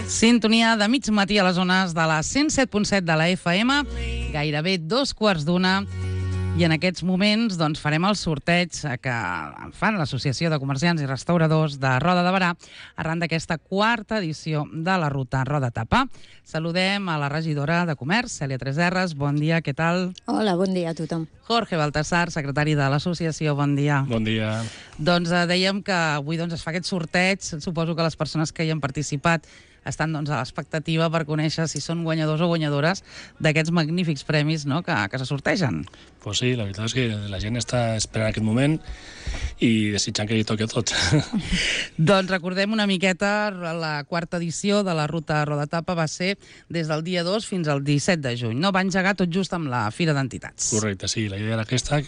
Sintonia de mig matí a les zones de la 107.7 de la FM, gairebé 2:15, i en aquests moments doncs, farem el sorteig que fan l'Associació de Comerciants i Restauradors de Roda de Berà arran d'aquesta quarta edició de la ruta Roda Tapa. Saludem a la regidora de Comerç, Cèlia Tresserras. Bon dia, què tal? Hola, bon dia a tothom. Jorge Baltasar, secretari de l'associació, bon dia. Bon dia. Doncs dèiem que avui es fa aquest sorteig. Suposo que les persones que hi han participat estan a l'expectativa per conèixer si són guanyadors o guanyadores d'aquests magnífics premis que se sortegen. Pues sí, la veritat és que la gent està esperant aquest moment i desitjant que li toqui a tots. Doncs recordem una miqueta, la quarta edició de la ruta Roda Tapa va ser des del dia 2 fins al 17 de juny. Va engegar tot just amb la Fira d'Entitats. Correcte, sí. La idea era aquesta,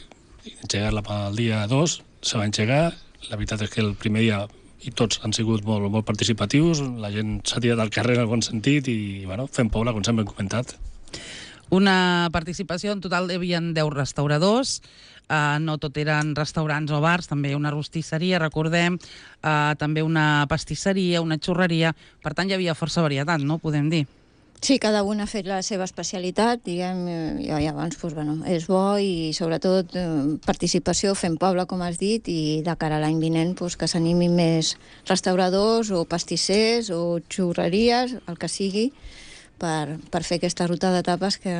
engegar-la pel dia 2, se va engegar. La veritat és que el primer dia i tots han sigut molt participatius, la gent s'ha tirat al carrer en el bon sentit i fem Pobla, com sempre hem comentat. Una participació, en total hi havia 10 restauradors, no tot eren restaurants o bars, també una rostisseria, recordem, també una pastisseria, una xurreria, per tant hi havia força varietat, no? Podem dir. Sí, cada un ha fet la seva especialitat, diguem, i abans és bo i sobretot participació, fem Pobla, com has dit, i de cara a l'any vinent que s'animin més restauradors o pastissers o xurreries, el que sigui, per fer aquesta ruta de tapes que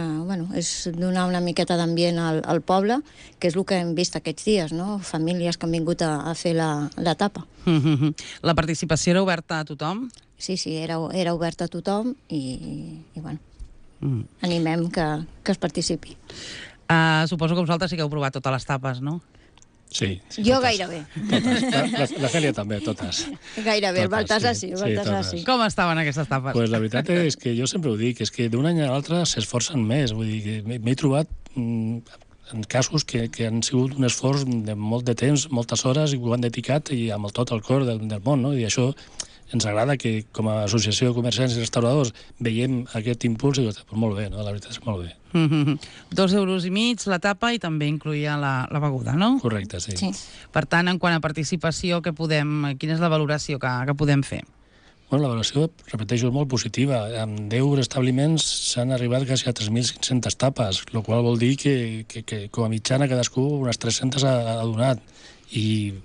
és donar una miqueta d'ambient al poble, que és el que hem vist aquests dies, no? Famílies que han vingut a fer la tapa. La participació era oberta a tothom? Sí, era obert a tothom i animem que es participi. Suposo que vosaltres sí que heu provat totes les tapes, no? Sí. Jo gairebé. Totes. La Cèlia també, totes. Gairebé, el Baltasar sí. Com estaven aquestes tapes? Pues la veritat és que jo sempre ho dic, és que d'un any a l'altre s'esforcen més. Vull dir que m'he trobat en casos que han sigut un esforç de molt de temps, moltes hores, i ho han dedicat i amb tot el cor del món, no? I això ens agrada que, com a associació de comerciants i restauradors, veiem aquest impuls i doncs, molt bé, no? La veritat és que molt bé. 2,5 € la tapa i també incloïa la beguda, no? Correcte, sí. Per tant, en quant a participació, quina és la valoració que podem fer? La valoració, repeteixo, és molt positiva. Amb 10 establiments s'han arribat quasi a 3.500 tapes, el qual vol dir que com a mitjana cadascú unes 300 ha donat. I,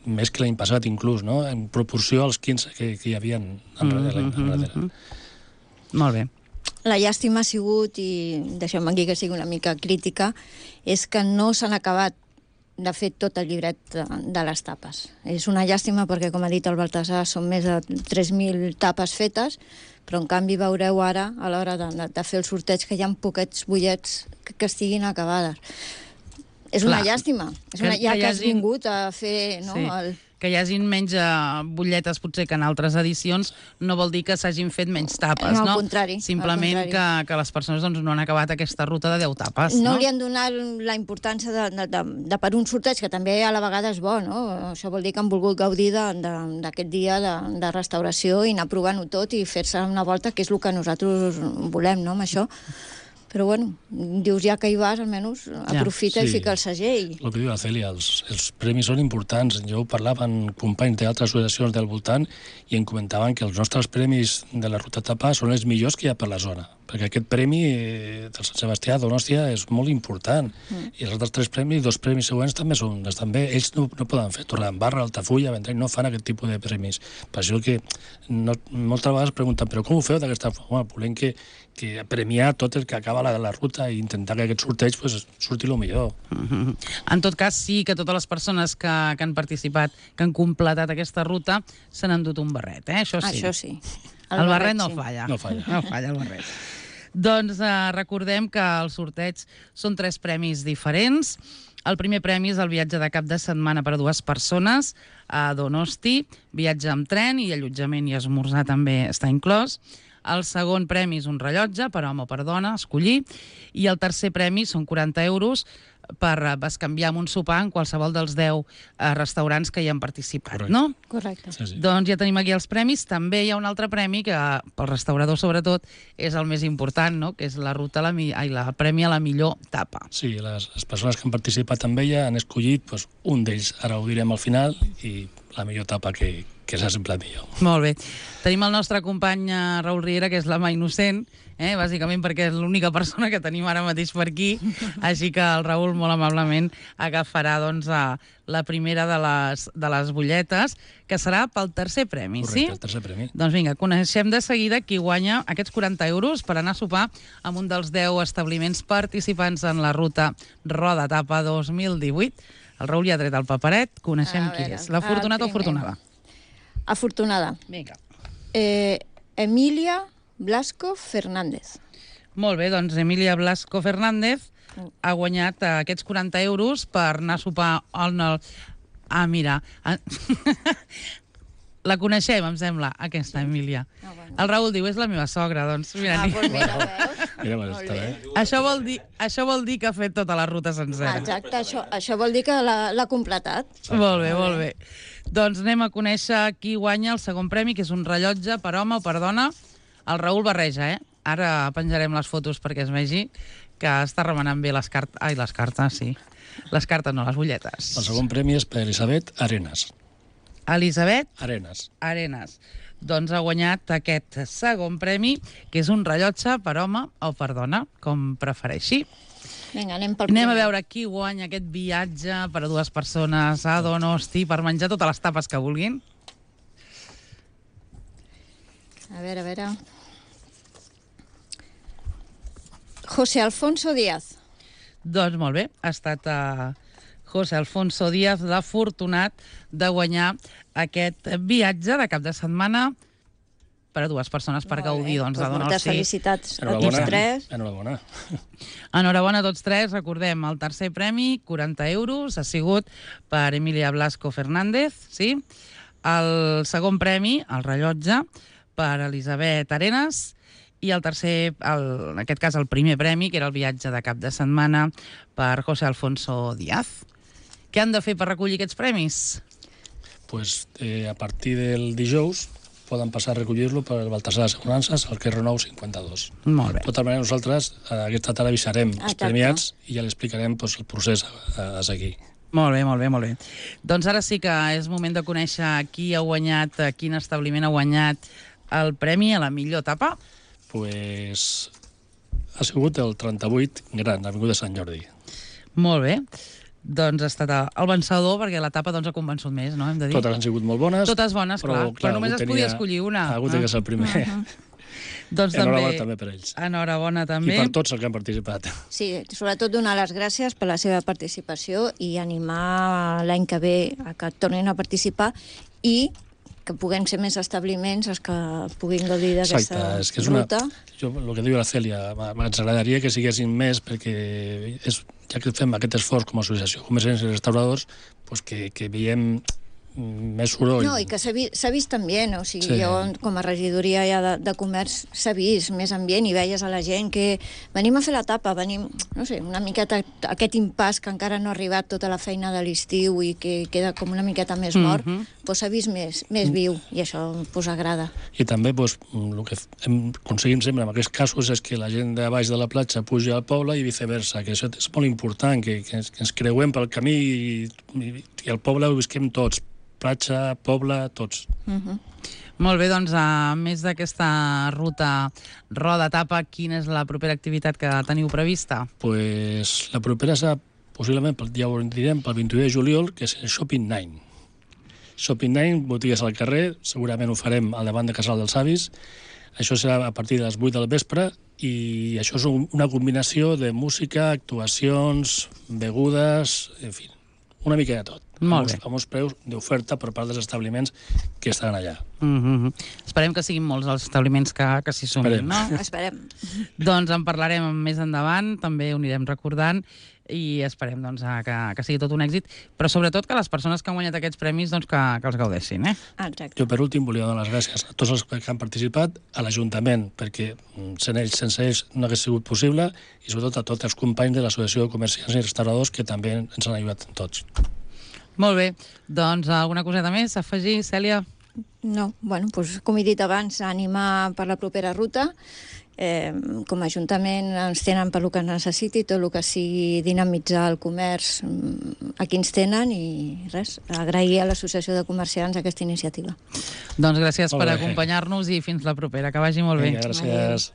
més que l'any passat inclús, no? En proporció als 15 que hi havia enrere. Molt bé. La llàstima ha sigut, i deixem aquí que sigui una mica crítica, és que no s'han acabat de fer tot el llibret de les tapes. És una llàstima perquè, com ha dit el Baltasar, són més de 3.000 tapes fetes, però en canvi veureu ara, a l'hora de fer el sorteig, que hi ha poquets butllets que estiguin acabades. És una llàstima, ja que has vingut a fer... Que hi hagin menys butlletes potser que en altres edicions no vol dir que s'hagin fet menys tapes, no? Al contrari. Simplement que les persones no han acabat aquesta ruta de 10 tapes, no? No li han donat la importància de per un sorteig, que també a la vegada és bo, no? Això vol dir que han volgut gaudir d'aquest dia de restauració i anar provant-ho tot i fer-se una volta, que és el que nosaltres volem, no?, amb això. Però, dius, ja que hi vas, almenys aprofita i fica el segell. El que diu la Cèlia, els premis són importants. Jo ho parlava amb companys d'altres associacions del voltant i em comentaven que els nostres premis de la Ruta Tapa són els millors que hi ha per la zona, perquè aquest premi del Sant Sebastià d'Onòstia és molt important. I els altres 3 premis, 2 premis següents també estan bé. Ells no poden fer Torredembarra, Altafulla, Vendrell, no fan aquest tipus de premis. Per això que moltes vegades pregunten, però com ho feu d'aquesta forma? Volem que premiar tot el que acaba la ruta i intentar que aquest sorteig surti el millor. En tot cas, sí que totes les persones que han participat, que han completat aquesta ruta, se n'han dut un barret, això sí. Això sí. El barret no falla. No falla. No falla el barret. Doncs recordem que els sorteig són 3 premis diferents. El primer premi és el viatge de cap de setmana per a 2 persones a Donosti, viatge amb tren i allotjament i esmorzar també està inclòs. El segon premi és un rellotge per home o per dona, escollir, i el tercer premi són 40 € per bescanviar amb un sopar en qualsevol dels 10 restaurants que hi han participat, correcte, no? Correcte. Sí. Doncs ja tenim aquí els premis. També hi ha un altre premi que pel restaurador sobretot és el més important, no? Que és la ruta el premi a la millor tapa. Sí, les persones que han participat amb ella han escollit un d'ells, ara ho direm al final, i la millor tapa que serà sempre millor. Molt bé. Tenim el nostre company Raül Riera, que és la mà innocent, bàsicament perquè és l'única persona que tenim ara mateix per aquí, així que el Raül molt amablement agafarà la primera de les butlletes, que serà pel tercer premi, sí? Correcte, el tercer premi. Doncs vinga, coneixem de seguida qui guanya aquests 40 euros per anar a sopar amb un dels 10 establiments participants en la ruta Roda Tapa 2018. El Raül ja ha tret el paperet, coneixem qui és. L'afortunat o afortunada? Afortunada. Vinga. Emília Blasco Fernández. Molt bé, doncs Emília Blasco Fernández ha guanyat aquests 40 euros per anar a sopar Ah, mira. La coneixem, em sembla, aquesta Emília. El Raül diu, és la meva sogra, doncs mira. Doncs mira, veus? Mira, està bé. Això vol dir que ha fet tota la ruta sencera. Exacte, això vol dir que l'ha completat. Molt bé, molt bé. Doncs anem a conèixer qui guanya el segon premi, que és un rellotge per home o per dona. El Raül barreja, Ara penjarem les fotos perquè es vegi que està remenant bé les cartes. Ai, les cartes, sí. Les cartes no, les butlletes. El segon premi és per Elisabet Arenas. Elisabet Arenas. Doncs ha guanyat aquest segon premi, que és un rellotge per home o per dona, com prefereixi. Vinga, anem pel primer. Anem a veure qui guanya aquest viatge per a 2 persones a Donosti per menjar totes les tapes que vulguin. A veure. José Alfonso Díaz. Doncs molt bé, ha estat José Alfonso Díaz l'afortunat de guanyar aquest viatge de cap de setmana per a 2 persones per gaudir de Donosti. Moltes felicitats a tots 3. Enhorabona. Enhorabona a tots 3. Recordem, el tercer premi, 40 euros, ha sigut per Emília Blasco Fernández, sí? El segon premi, el rellotge, per Elisabet Arenas, i el tercer, en aquest cas el primer premi, que era el viatge de cap de setmana, per José Alfonso Díaz. Què han de fer per recollir aquests premis? Pues a partir del dijous poden passar a recollir-lo per Baltasar Assegurances al carrer Nou 52. Molt bé. De tota manera, nosaltres aquesta tarda avisarem els premiats i ja li explicarem el procés a seguir. Molt bé. Doncs ara sí que és moment de conèixer qui ha guanyat, quin establiment ha guanyat el premi a la millor tapa. Pues ha sigut el 38 Gran, Avinguda Sant Jordi. Molt bé. Doncs ha estat el vencedor, perquè la tapa ha convençut més, no? Hem de dir. Totes han sigut molt bones. Totes bones, clar. Però només es podia escollir una. Ha hagut de ser el primer. Doncs enhorabona també per ells. Enhorabona també. I per tots els que han participat. Sí, sobretot donar les gràcies per la seva participació i animar l'any que ve a que tornin a participar i que puguem ser més establiments els que puguin gaudir d'aquesta ruta. El que diu la Cèlia, ens agradaria que siguessin més perquè ja que fem aquest esforç com a associació de comerciants i restauradors, pues que veiem més soroll. No, i que s'ha vist ambient, o sigui, jo com a regidoria ja de comerç s'ha vist més ambient i veies a la gent que venim a fer la tapa, venim, no sé, una miqueta aquest impàs que encara no ha arribat tota la feina de l'estiu i que queda com una miqueta més mort, doncs s'ha vist més viu i això agrada. I també el que aconseguim sempre en aquests casos és que la gent de baix de la platja puja al poble i viceversa, que això és molt important, que ens creuem pel camí i al poble ho visquem tots, platja, poble, tots. Molt bé, doncs, a més d'aquesta ruta Roda Tapa, quina és la propera activitat que teniu prevista? Pues la propera serà, possiblement, ja ho direm, pel 21 de juliol, que és el Shopping 9. Shopping 9, botigues al carrer, segurament ho farem al davant de Casal dels Avis. Això serà a partir de les 8 del vespre i això és una combinació de música, actuacions, begudes, en fi, una mica de tot. Molt bé. Amb uns preus d'oferta per part dels establiments que estan allà. Esperem que siguin molts els establiments que s'hi sumin, no? Esperem. Doncs en parlarem més endavant, també ho anirem recordant i esperem que sigui tot un èxit, però sobretot que les persones que han guanyat aquests premis que els gaudeixin. Exacte. Jo, per últim, volia donar les gràcies a tots els que han participat, a l'Ajuntament, perquè sense ells no hagués sigut possible, i sobretot a tots els companys de l'Associació de Comerciants i Restauradors que també ens han ajudat tots. Molt bé. Doncs alguna coseta més a afegir, Cèlia? No, bueno, doncs, com he dit abans, animar per la propera ruta, com a Ajuntament ens tenen per lo que necessiti, tot el que sigui dinamitzar el comerç, aquí ens tenen, i res, agrair a l'Associació de Comerciants aquesta iniciativa. Doncs gràcies per acompanyar-nos i fins la propera, que vagi molt bé. Vinga, gràcies.